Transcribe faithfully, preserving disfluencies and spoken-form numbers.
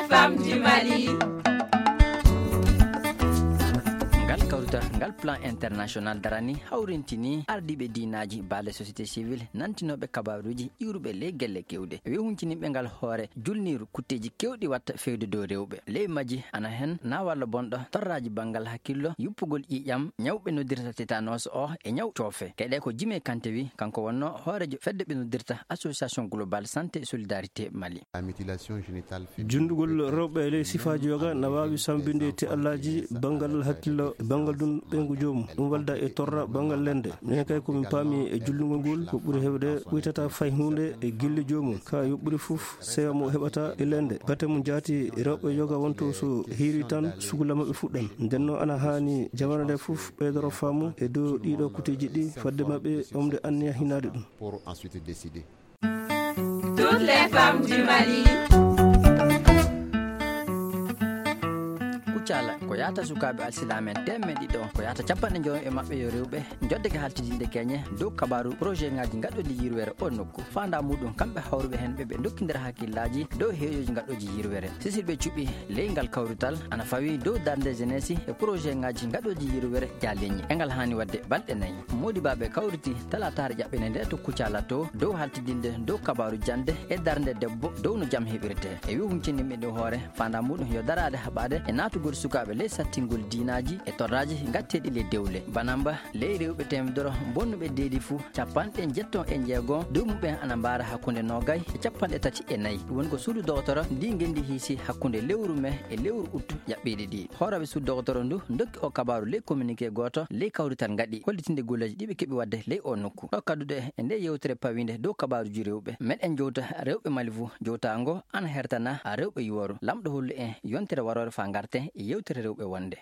Femme du Mali. Ngal kawrital, ngal plan international darani, hawrintini ardiiɓe diinaaji, baale société civile, nantinooɓe kabaaruuji iwruɓe ley gelle keewɗe. Wi hunciniiɓe ngal hoore julniiru kutteeji keewɗi watta fewde dow rewɓe. Ley majji ana hen naawalla bonɗo, torraaji banngal hakkillo, yuppugol ƴiiƴam, ñaw ɓe noddirta tétanos o e ñaw coofe. Keɗe ko Jimé Kanté wi, kanko wonno hooreejo fedde ɓe noddirta Association Globale Santé et Solidarité Mali. La mutilation génitale féminine. Junndugol rewɓe e ley sifaaji yoga na waawi sambinde te'allaaji banngal hakkillo e banngal ɗum ɓeyngu joomum. Ɗum walda e torra banngal lende. Minen kay ko min paami e jullugol ngol ko ɓuri heewde ɓuytata fay huunde e gille joomum. Ka yoɓɓuri fof sewa mo heɓata e lende. Bate mum jaati rewɓe yoga wonto so hiiri tan sugula maɓɓe fuɗɗan. Nden noon ana haani jamana nde fof ɓeydoro faamu e dow ɗiɗo kuteeji ɗi fadde maɓɓe omde anniya hinaade ɗum. Pour ensuite décider. Toutes les femmes du Mali. Kuccala ko yahata sukaaɓe alsilaame en teemedde ɗiɗo, ko yahata capanɗe jowi e maɓɓe yo rewɓe, joddeke haltidinde keñe dow kabaaru projet ŋaaji gaɗɗoɗi yirwere o nokku. Faandaa muɗum kamɓe hawruɓe heen ɓe ɓe dokkindira hakkillaaji dow heeƴooji gaɗɗooji yirwere. Sisirɓe cuɓi ley ngal kawrital ana fawi dow darnde jeunesse e projet ŋaaji gaɗɗooji yirwere jaaleñi. E ngal haani waɗde balɗe nayi. Moodibaaɓe kawriti talaataare ƴaɓɓende nde to Kuccala to dow haltidinde dow kabaaru jannde e darnde debbo dow no jam heɓirte. E wi huncini miɗo hoore, faandaa muɗum yo daraade haɓaade e naatugol sukaaɓe ley sattingol diinaaji e torraaji gatteeɗi ley dewle. Banamba ley rewɓe teemedere bonnuɓe deedi fuu, capanɗe jeetati e jeego dow muɓɓen ana mbaara hakkunde noogay e capanɗe tati e nayi. Ɗum woni ko suudu dogotoro ndi ngenndi hiisi hakkunde lewru me e lewru ut ƴaɓɓiiɗi ɗi. Hooraaɓe suudu dogotoro ndu ndokki o kabaaru ley communiqué gooto ley kawrital ngaɗi hollitinde golleeji ɗi ɓe keɓi waɗde ley o nokku. Ɗo kadduɗe e nde yewtere pawiinde dow kabaaruuji rewɓe, meɗen jowta rewɓe Mali fuu. Jowtaango ana hertana rewɓe yuworo. Lamɗo hollu en yontere waroore faa ngarten e yewtere rewɓe wonde.